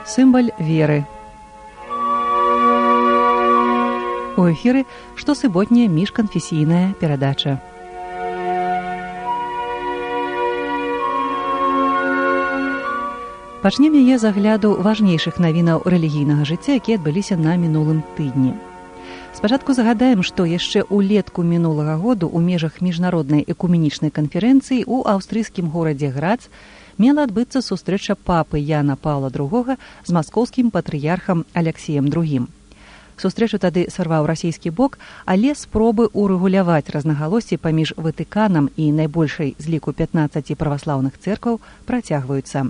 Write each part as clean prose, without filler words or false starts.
Сімвал веры. У эфіры штосуботняя міжканфесійная перадача. Пачнем яе з агляду важнейшых навінаў рэлігійнага жыцця, якія адбыліся на мінулым тыдні. Спачатку загадаем, што яшчэ ўлетку мінулага году ў межах міжнароднай экуменічнай канферэнцыі ў аўстрыйскім горадзе Грац мела адбыцца сустрэча папы Яна Паўла II з маскоўскім патрыярхам Аляксеем II. Сустрэчу тады сарваў расійскі бок, але спробы ўрэгуляваць рознагалоссі паміж Ватыканам і найбольшай з ліку 15 праваслаўных цэркваў працягваюцца.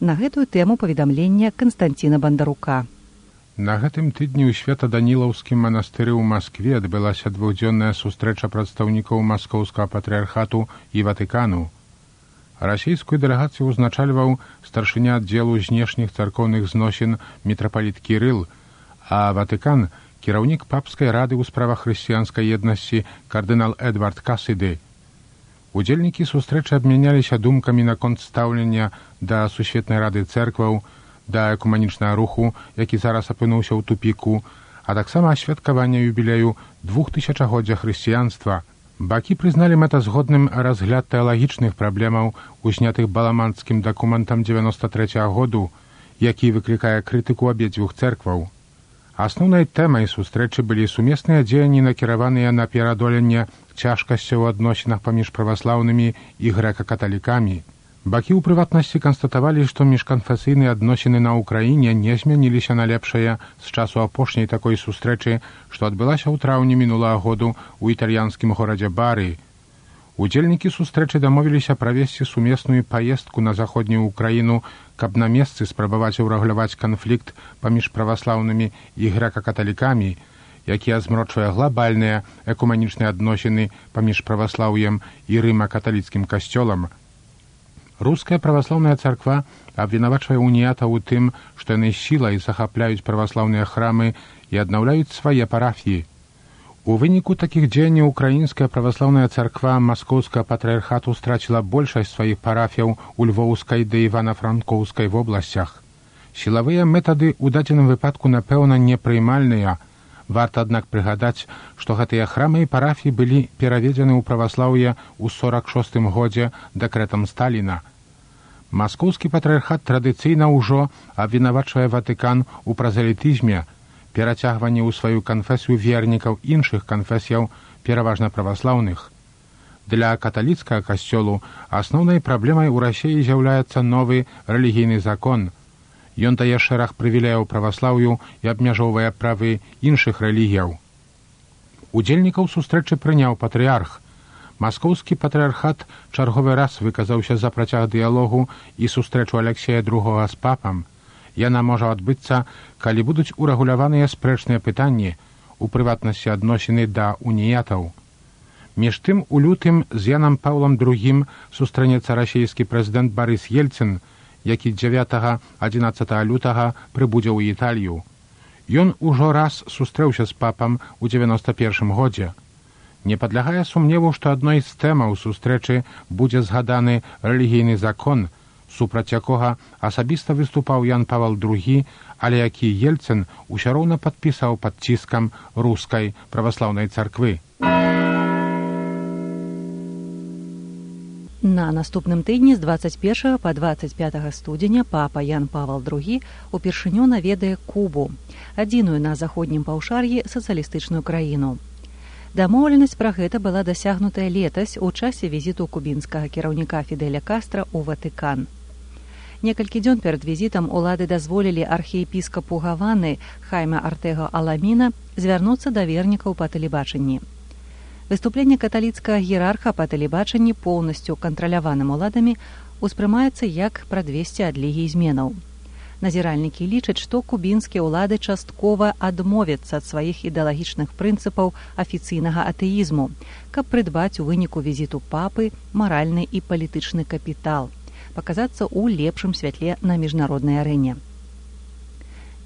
На гэтую тэму паведамлення Канстанціна Бандарука. На гэтым тыдні ў Свята-Данілаўскім манастыры ў Маскве адбылася двухдзённая сустрэча прадстаўнікоў маскоўскага патрыярхату і Ватыкану. Расійскую дэлегацыю ўзначальваў старшыня аддзелу знешніх царкоўных зносін мітрапаліт Кірыл, а Ватыкан – кіраўнік папскай рады ў справах хрысціянскай еднасці кардынал Эдвард Касіды. Удзельнікі сустрэчы абмяняліся думкамі наконт стаўлення да Сусветнай рады цэркваў, да экуманічнага руху, які зараз апынуўся ў тупіку, а таксама асвяткавання юбілею 2000-годдзя хрысціянства. Бакі прызналі мэтазгодным разгляд тэалагічных праблемаў, узнятых баламанскім дакументам 93-го году, які выклікае крытыку абедзвюх цэркваў. Асноўнай тэмай сустрэчы былі сумесныя дзеянні, накіраваныя на пераадоленне цяжкасцяў у адносінах паміж праваслаўнымі і грэка-каталікамі. Бакі ў прыватнасці канстатавалі, што міжканфесійныя адносіны на ўкраіне не змяніліся на лепшае з часу апошняй такой сустрэчы, што адбылася ў траўні мінулага году ў італьянскім горадзе Бары. Удзельнікі сустрэчы дамовіліся правесці сумесную паездку на заходнюю ўкраіну, каб на месцы спрабаваць урэгуляваць канфлікт паміж праваслаўнымі і грэка-каталікамі, які азмрочвае глабальныя экуманічныя адносіны паміж праваслаўем і рыма-каталіцкім касцёлам. Руская праваслаўная царква абвінавачвае уніятаў у тым, што яны сілай захапляюць праваслаўныя храмы і аднаўляюць свае парафіі. У выніку такіх дзеянняў украінская праваслаўная царква маскоўскага патрыярхату страціла большасць сваіх парафіяў у Львоўскай ды Івана-Франкоўскай вобласцях. Сілавыя метады ў дадзеным выпадку, напэўна, непрыймальныя. Варта, аднак, прыгадаць, што гэтыя храмы і парафіі былі пераведзены ў праваслаўе ў 46-м годзе дэкрэтам Сталіна. Маскоўскі патрыярхат традыцыйна ўжо абвінавачвае Ватыкан у празелітызме, перацягванні ў сваю канфесію вернікаў іншых канфесіяў, пераважна праваслаўных. Для каталіцкага касцёлу асноўнай праблемай у Расіі з'яўляецца новы рэлігійны закон. Ён дае шэраг прывілеяў праваслаўю і абмяжоўвае правы іншых рэлігіяў. Удзельнікаў сустрэчы прыняў патрыярх. Маскоўскі патрыярхат чарговы раз выказаўся за працяг дыялогу і сустрэчу Аляксея II з папам. Яна можа адбыцца, калі будуць урэгуляваныя спрэчныя пытанні, у прыватнасці адносіны да уніятаў. Між тым, у лютым з Янам Паўлам II сустрэнецца расійскі прэзідэнт Барыс Ельцын, які 9-11 лютага прыбудзе ў Італію. Ён ужо раз сустрэўся з папам у 91-м годзе. Не падлягае сумневу, што адной з тэмаў сустрэчы будзе згаданы рэлігійны закон, супраць якога асабіста выступаў Ян Павел II, але які Ельцын усё роўна падпісаў пад ціскам рускай праваслаўнай царквы. На наступным тыдні з 21 па 25 студзеня папа Ян Павел II упершыню наведае Кубу, адзіную на заходнім паўшар'і сацыялістычную краіну. Дамоўленасць пра гэта была дасягнутая летась у часе візіту кубінскага кіраўніка Фідэля Кастра ў Ватыкан. Некалькі дзён перад візітам улады дазволілі архіепіскапу Гаваны Хайме Артэга Аламіна звярнуцца да вернікаў па тэлебачанні. Выступленне каталіцкага іерарха па тэлебачанні, поўнасцю кантраляваным уладамі, успрымаецца як прадвесце адлігі зменаў. Назіральнікі лічаць, што кубінскія ўлады часткова адмовяцца ад сваіх ідэалагічных прынцыпаў афіцыйнага атэізму, каб прыдбаць у выніку візіту папы маральны і палітычны капітал, паказацца ў лепшым святле на міжнароднай арэне.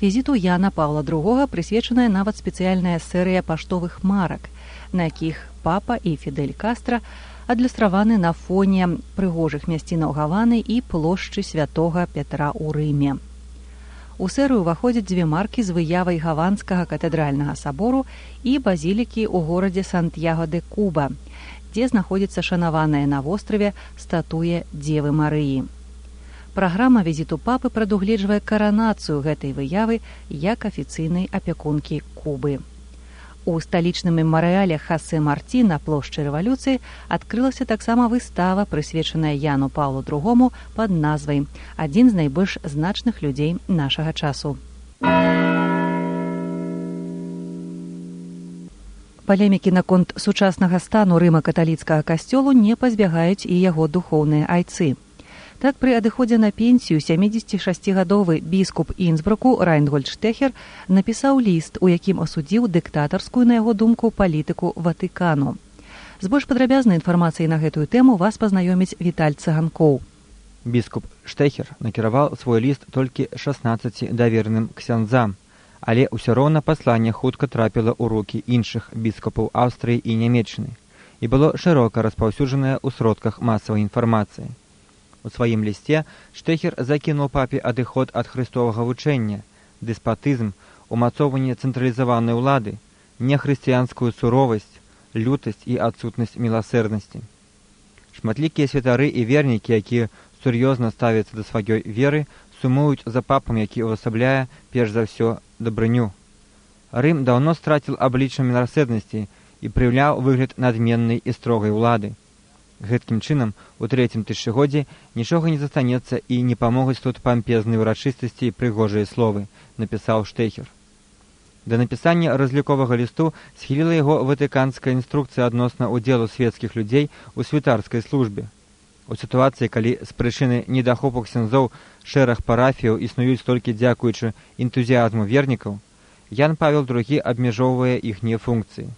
Візіту Яна Паўла II прысвечаная нават спецыяльная серыя паштовых марак, на якіх папа і Фідель Кастра адлюстраваны на фоне прыгожых мясцінаў Гаваны і плошчы святога Пятра ў Рыме. У серыю ўваходзяць дзве маркі з выявай гаванскага катэдральнага сабору і базілікі ў горадзе Сантьяго-де-Куба, дзе знаходзіцца шанаваная на востраве статуя Дзевы Марыі. Праграма візіту папы прадугледжвае каранацыю гэтай выявы як афіцыйнай апякункі Кубы. У сталічным мемарыяле Хосе Марти на плошчы рэвалюцыі адкрылася таксама выстава, прысвечаная Яну Паўлу II пад назвай «Адзін з найбольш значных людзей нашага часу». Палемікі наконт сучаснага стану рыма-каталіцкага касцёлу не пазбягаюць і яго духоўныя айцы. Так, пры адыходзе на пенсію 76гадовы біскуп Інсбруку Райнгольд Штэхер напісаў ліст, у якім асудзіў дыктатарскую, на яго думку, палітыку Ватыкану. З больш падрабязнай інфармацыяй на гэтую тэму вас пазнаёміць Віталь Цыганкоў. Біскуп Штэхер накіраваў свой ліст толькі 16 давераным ксяндзам, але ўсё роўна пасланне хутка трапіла ў рукі іншых біскупаў Аўстрыі і Нямецчыны і было шырока распаўсюджанае ў сродках масавай інфармацыі. У сваім лісце Штэхер закінуў папе адыход ад хрыстовага вучэння, дэспатызм, умацоўванне цэнтралізаванай улады, нехрысціянскую суровасць, лютасць і адсутнасць міласэрнасці. Шматлікія святары і вернікі, якія сур'ёзна ставяцца да сваёй веры, сумуюць за папам, які ўвасабляе перш за ўсё дабрыню. Рым даўно страціў аблічча міласэрнасці і прыяўляў выгляд надменнай і строгай улады. Гэткім чынам, у трэцім тысячагоддзі нічога не застанецца і не памогуць тут пампезныя ўрачыстасці і прыгожыя словы, напісаў Штэхер. Да напісання разліковага лісту схіліла яго ватыканская інструкцыя адносна ўдзелу свецкіх людзей у святарскай службе. У сітуацыі, калі з прычыны недахопу ксяндзоў шэраг парафіяў існуюць толькі дзякуючы энтузіазму вернікаў, Ян Павел II абмяжоўвае іхнія функцыі.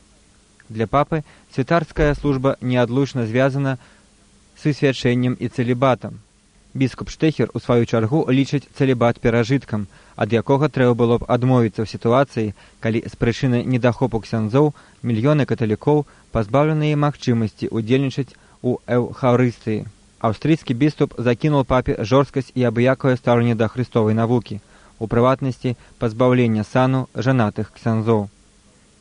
Для папы святарская служба неадлучна звязана з свячэннем і цэлібатам. Біскуп Штэхер, у сваю чаргу, лічыць цэлібат перажыткам, ад якога трэба было б адмовіцца ў сітуацыі, калі з прычыны недахопу ксяндзоў мільёны каталікоў пазбаўленыя магчымасці удзельнічаць у эўхарыстыі. Аўстрыйскі біскуп закінуў папе жорсткасць і абыякавае стаўленне да хрыстовай навукі, у прыватнасці пазбаўлення сану жанатых ксяндзоў.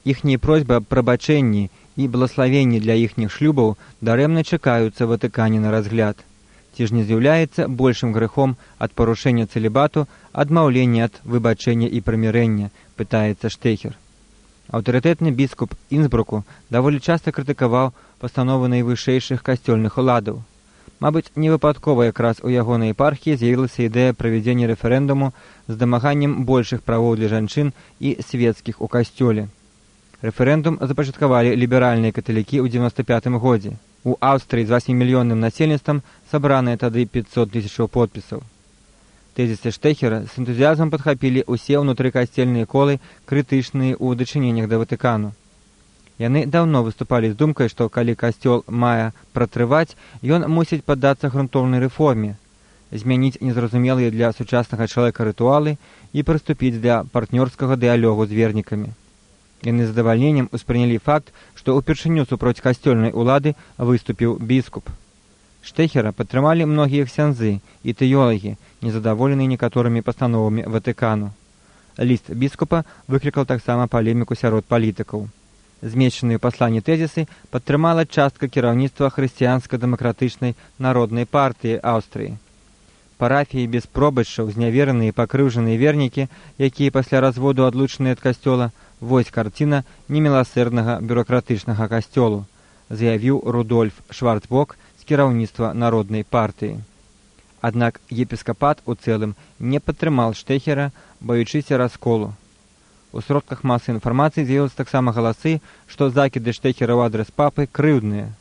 Іхнія просьбы аб прабачэнні і благаславенні для іхніх шлюбаў дарэмна чакаюцца Ватыкане на разгляд. Ці ж не з'яўляецца большым грэхом ад парушэння цэлібату адмаўлення ад выбачэння і прымірэння, пытаецца Штэхер. Аўтарытэтны біскуп Інсбруку даволі часта крытыкаваў пастановы найвышэйшых касцёльных уладаў. Мабыць, невыпадкова якраз у ягонай епархіі з'явілася ідэя правядзення рэферэндуму з дамаганнем большых правоў для жанчын і свецкіх у касцёле. Рэферэндум запачаткавалі ліберальныя каталікі ў 95 годзе. У Аўстрыі з 8-мільённым насельніцтвам сабраныя тады 500 000 подпісаў. Тэзісы Штэхера з энтузіазмам падхапілі ўсе ўнутрыкасцельныя колы, крытычныя ў дачыненнях да Ватыкану. Яны даўно выступалі з думкай, што калі касцёл мае пратрываць, ён мусіць паддацца грунтоўнай рэформе, змяніць незразумелыя для сучаснага чалавека рытуалы і прыступіць да партнёрскага дыялогу з вернікамі. Яны з задавальненнем успрынялі факт, што ўпершыню супроць касцёльнай улады выступіў біскуп. Штэхера падтрымалі многія ксяндзы і тэолагі, незадаволеныя некаторымі пастановамі Ватыкану. Ліст біскупа выклікаў таксама палеміку сярод палітыкаў. Змешчаныя ў пасланні тэзісы падтрымала частка кіраўніцтва хрысціянска-дэмакратычнай народнай партыі Аўстрыі. Парафіі без пробаччаў, знявераныя і пакрыўжаныя вернікі, якія пасля разводу адлучаныя ад касцёла, вось карціна неміласэрнага бюракратычнага касцёлу, заявіў Рудольф Шварцбок з кіраўніцтва народнай партыі. Аднак епіскапат у цэлым не падтрымаў Штэхера, баючыся расколу. У сродках масы інфармацыі з'явіліся таксама галасы, што закіды Штэхера ў адрас папы крыўдныя.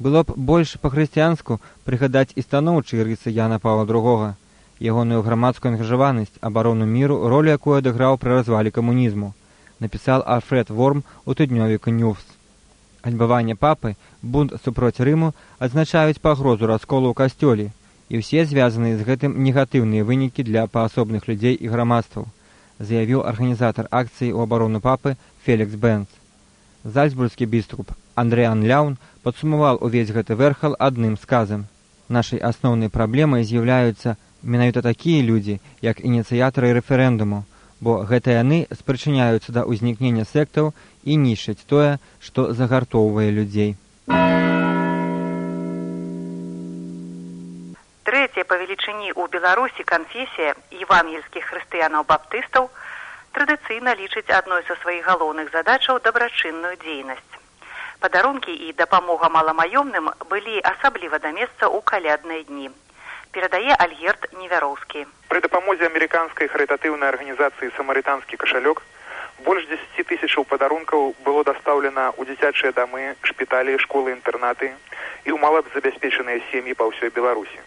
Было б больш па-хрысціянску прыгадаць і станоўчыя рысы Яна Паўла II, ягоную грамадскую ангажаванасць, абарону міру, ролю якую адыграў пры развале камунізму, напісаў Альфред Ворм у тыднёвіку «Ньюс». Альбаванне папы, бунт супроць Рыму адзначаюць пагрозу расколу ў касцёле, і ўсе звязаныя з гэтым негатыўныя вынікі для паасобных людзей і грамадстваў, заявіў арганізатар акцыі ў абарону папы Фелікс Бенц. Зальцбургскі біскуп Андрэан Ляун падсумаваў увесь гэты вэрхал адным сказам. Нашай асноўнай праблемай з'яўляюцца Менавіта такія людзі, як ініцыятары рэферэндуму, бо гэта яны спрычыняюцца да ўзнікнення сектаў і нішчаць тое, што загартоўвае людзей. Трэцяя па велічыні ў Беларусі канфесія евангельскіх хрысціянаў-баптыстаў традыцыйна лічыць адной са сваіх галоўных задачаў дабрачынную дзейнасць. Падарункі і дапамога маламаёмным былі асабліва да месца ў калядныя дні. Перадае Альгерт Невяроўскі. При дапамозе амерыканскай харытатыўнай арганізацыі «Самарытанскі кашалёк» больш 10 тысячаў падарункаў было дастаўлена ў дзіцячыя дамы, шпіталі, школы-інтэрнаты і ў малазабяспечаныя сем'і па ўсёй Беларусі.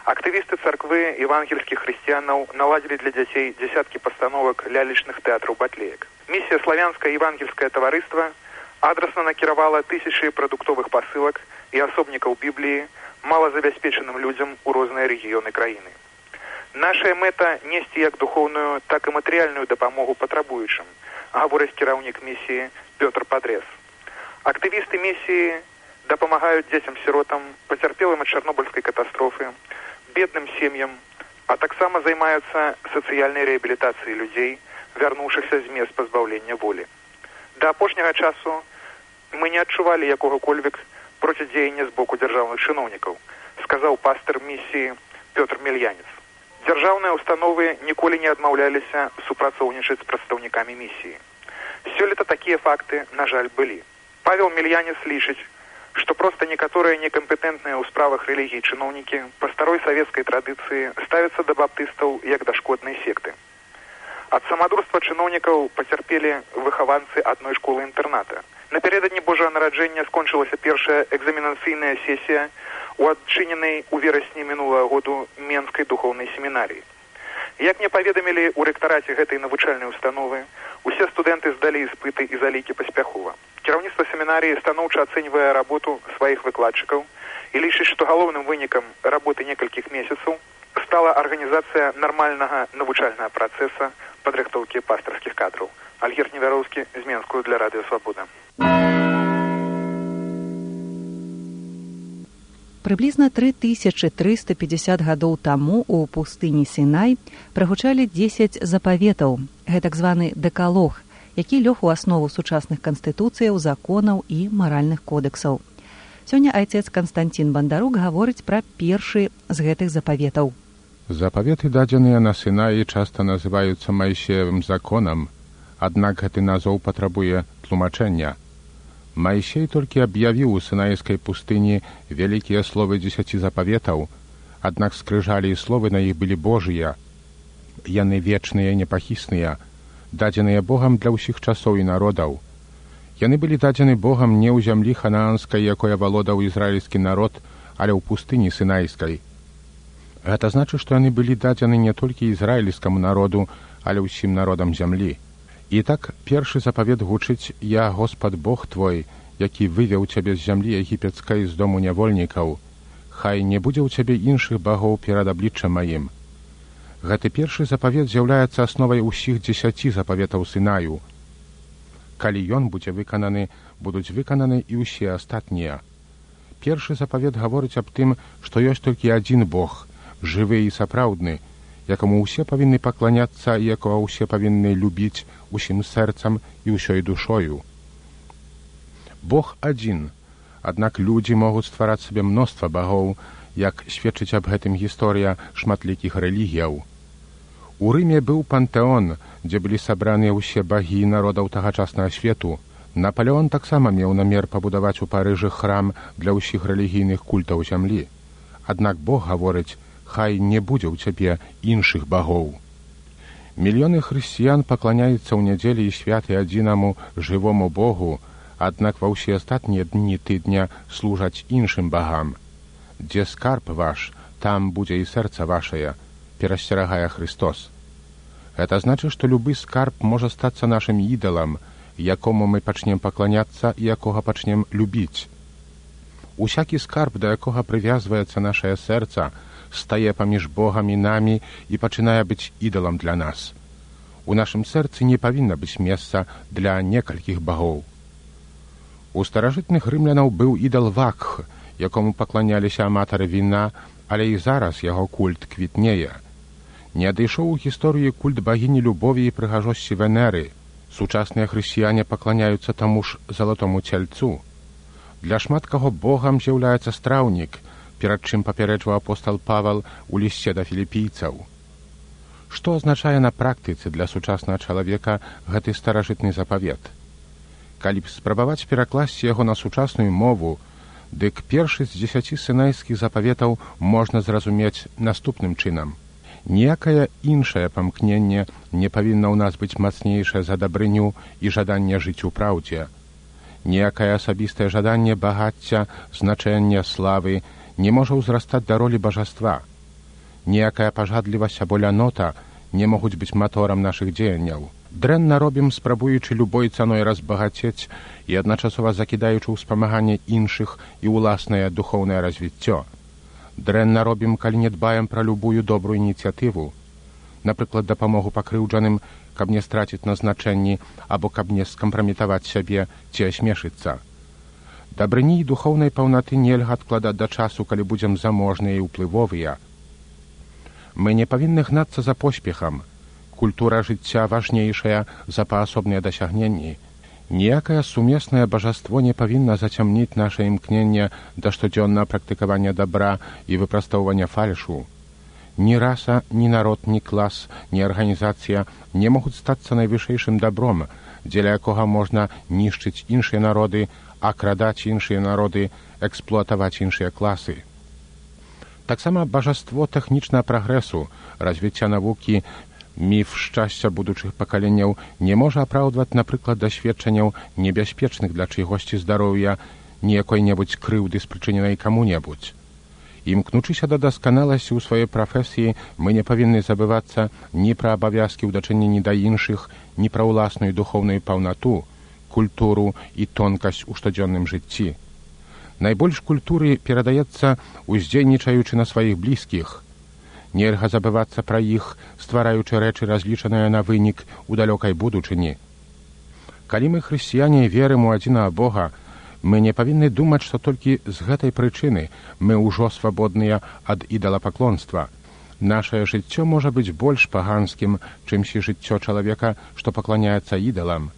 Актывісты царквы евангельскіх хрысціянаў наладзілі для дзяцей дзесяткі пастановак лялечных тэатраў батлеек. Місія славянскае евангельскае таварыства адрасна накіравала тысячы прадуктовых пасылак і асобнікаў Бібліі малазабяспечаным людзям у розныя рэгіёны краіны. Наша мэта несці як духоўную, так і матэрыяльную дапамогу патрабуючым, гаворыць кіраўнік місіі Пётр Падрэс. Актывісты місіі дапамагаюць дзецям-сіротам, пацярпелым ад чарнобыльскай катастрофы, бедным сем'ям, а таксама займаюцца сацыяльнай рэабілітацыяй людзей, вярнуўшыхся з мест пазбаўлення волі. Да апошняга часу мы не адчувалі якога-кольвек процідзеяння з боку дзяржаўных чыноўнікаў, сказаў пастыр місіі Пётр Мельянец. Дзяржаўныя установы ніколі не адмаўляліся супрацоўнічаць з прадстаўнікамі місіі. Сёлета такія факты, на жаль, былі. Павел Мельянец лічыць, што проста некаторыя некампетэнтныя ў справах рэлігіі чыноўнікі па старой савецкай традыцыі ставяцца да баптыстаў як да шкоднай секты. Ад самадурства чыноўнікаў пацярпелі выхаванцы адной школы-інтэрната. Напярэдадні Божага нараджэння скончылася першая экзаменацыйная сесія ў адчыненай у верасні мінулага году Менскай духоўнай семінарыі. Як мне паведамілі ў рэктараце гэтай навучальнай установы, усе студэнты здалі іспыты і залікі паспяхова. Кіраўніцтва семінарыі станоўча ацэньвае работу сваіх выкладчыкаў і лічыць, што галоўным вынікам работы некалькіх месяцаў стала арганізацыя нармальнага навучальнага працэса падрыхтоўкі пастырскіх кадраў. Альгерт Невяроўскі з Менскую для Радыё Свабода. Прыблізна 3350 гадоў таму ў пустыні Сінай прагучалі 10 запаветаў, гэтак званы дэкалог, які лёг у аснову сучасных канстытуцыяў, законаў і маральных кодэксаў. Сёння айцец Канстантин Бандарук гаворыць пра першы з гэтых запаветаў. Запаветы, дадзеныя на Сінаі, часта называюцца Маісеевым законам, аднак гэты назоў патрабуе тлумачэння. Маісей толькі аб'явіў у сінайскай пустыні вялікія словы 10 запаветаў, аднак скрыжалі і словы на іх былі Божыя. Яны вечныя, непахісныя, дадзеныя Богам для ўсіх часоў і народаў. Яны былі дадзены Богам не ў зямлі ханаанскай, якой авалодаў ізраільскі народ, але ў пустыні сінайскай. Гэта значыць, што яны былі дадзены не толькі ізраільскаму народу, але ўсім народам зямлі. І так першы запавет гучыць: «Я, Господ Бог твой, які вывеў цябе з зямлі егіпецкай з дому нявольнікаў. Хай не будзе ў цябе іншых багоў перад абліччам маім». Гэты першы запавет з'яўляецца асновай усіх 10 запаветаў Сінаю. Калі ён будзе выкананы, будуць выкананы і ўсе астатнія. Першы запавет гаворыць аб тым, што ёсць толькі адзін Бог, жывы і сапраўдны, якому ўсе павінны пакланяцца і якога ўсе павінны любіць усім сэрцам і ўсёй душою. Бог адзін, аднак людзі могуць ствараць сабе мноства багоў, як сведчыць аб гэтым гісторыя шматлікіх рэлігіяў. У Рыме быў пантэон, дзе былі сабраныя ўсе багі народаў тагачаснага свету. Напалеон таксама меў намер пабудаваць у Парыжы храм для ўсіх рэлігійных культаў зямлі. Аднак Бог гаворыць: «Хай не будзе ў цябе іншых багоў». Мільёны хрысціян пакланяюцца ў нядзелі і святы адзінаму жывому Богу, аднак ва ўсе астатнія дні тыдня служаць іншым багам. «Дзе скарб ваш, там будзе і сэрца вашае», перасцерагае Христос. Гэта значыць, што любы скарб можа стацца нашым ідалам, якому мы пачнем пакланяцца і якога пачнем любіць. Усякі скарб, да якога прывязваецца нашае сэрца, стае паміж Богам і намі і пачынае быць ідалам для нас. У нашым сэрцы не павінна быць месца для некалькіх багоў. У старажытных рымлянаў быў ідал Вакх, якому пакланяліся аматары віна, але і зараз яго культ квітнее. Не адышоў у гісторыі культ багіні любові і прыгажосці Венеры. Сучасныя хрысціяне пакланяюцца таму ж залатому цельцу. Для шмат каго богам з'яўляецца страўнік, перад чым папярэджваў апостал Павал у лісце да філіпійцаў. Што азначае на практыцы для сучаснага чалавека гэты старажытны запавет? Калі б спрабаваць перакласці яго на сучасную мову, дык першы з 10 сінайскіх запаветаў можна зразумець наступным чынам. Ніякае іншае памкненне не павінна ў нас быць мацнейшае за дабрыню і жаданне жыць у праўдзе. Ніякае асабістае жаданне багацця, значэння, славы не можа ўзрастаць да ролі бажаства. Ніякая пажадлівасць або лянота не могуць быць маторам нашых дзеянняў. Дрэнна робім, спрабуючы любой цаной разбагацець і адначасова закідаючы ў спамаганне іншых і ўласнае духоўнае развіццё. Дрэнна робім, калі не дбаем пра любую добрую ініцыятыву, напрыклад, дапамогу пакрыўджаным, каб не страціць на значэнні або каб не скампраметаваць сябе ці асмешыцца. Дабрыні і духоўнай паўнаты нельга адкладаць да часу, калі будзем заможныя і ўплывовыя. Мы не павінны гнацца за поспехам. Культура жыцця важнейшая за паасобныя дасягненні. Ніякае сумеснае бажаство не павінна зацямніць наша імкненне да штодзённага практыкавання дабра і выпрастоўвання фальшу. Ні раса, ні народ, ні клас, ні арганізацыя не могуць стацца найвышэйшым дабром, дзеля якога можна нішчыць іншыя народы, акрадаць іншыя народы, эксплуатаваць іншыя класы. Таксама бажаство тэхнічнага прагрэсу, развіцця навукі, міф шчасця будучых пакаленняў не можа апраўдваць, напрыклад, дасведчанняў небяспечных для чыйгосьці здароўя, ні якой-небудзь крыўды спрычыненай каму-небудзь. Імкнучыся да дасканаласці ў сваёй прафесіі, мы не павінны забывацца ні пра абавязкі ў дачыненні да іншых, ні пра ўласную духоўную паўнату, культуру і тонкасць у штодзённым жыцці. Найбольш культуры перадаецца, уздзейнічаючы на сваіх блізкіх. Нельга забывацца пра іх, ствараючы рэчы, разлічаныя на вынік у далёкай будучыні. Калі мы, хрысціяне, верым у адзінага Бога, мы не павінны думаць, што толькі з гэтай прычыны мы ўжо свабодныя ад ідалапаклонства. Нашае жыццё можа быць больш паганскім, чымсьці жыццё чалавека, што пакланяецца ідалам.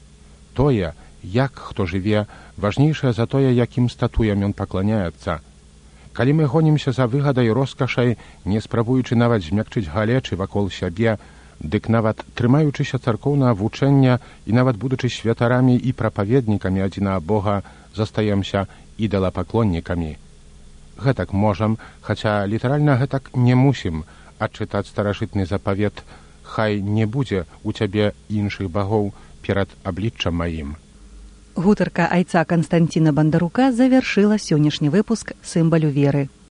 Тое, як хто жыве, важнейшае за тое, якім статуям ён пакланяецца. Калі мы гонімся за выгадай роскашай, не спрабуючы нават змякчыць галечы вакол сябе, дык нават трымаючыся царкоўнага вучэння і нават будучы святарамі і прапаведнікамі адзінага Бога, застаемся ідалапаклоннікамі. Гэтак можам, хаця літаральна гэтак не мусім, адчытаць старажытны запавет «Хай не будзе у цябе іншых багоў перад абліччам маім». Гутарка айца Канстанціна Бандарука завяршыла сённяшні выпуск «Сімвалю веры».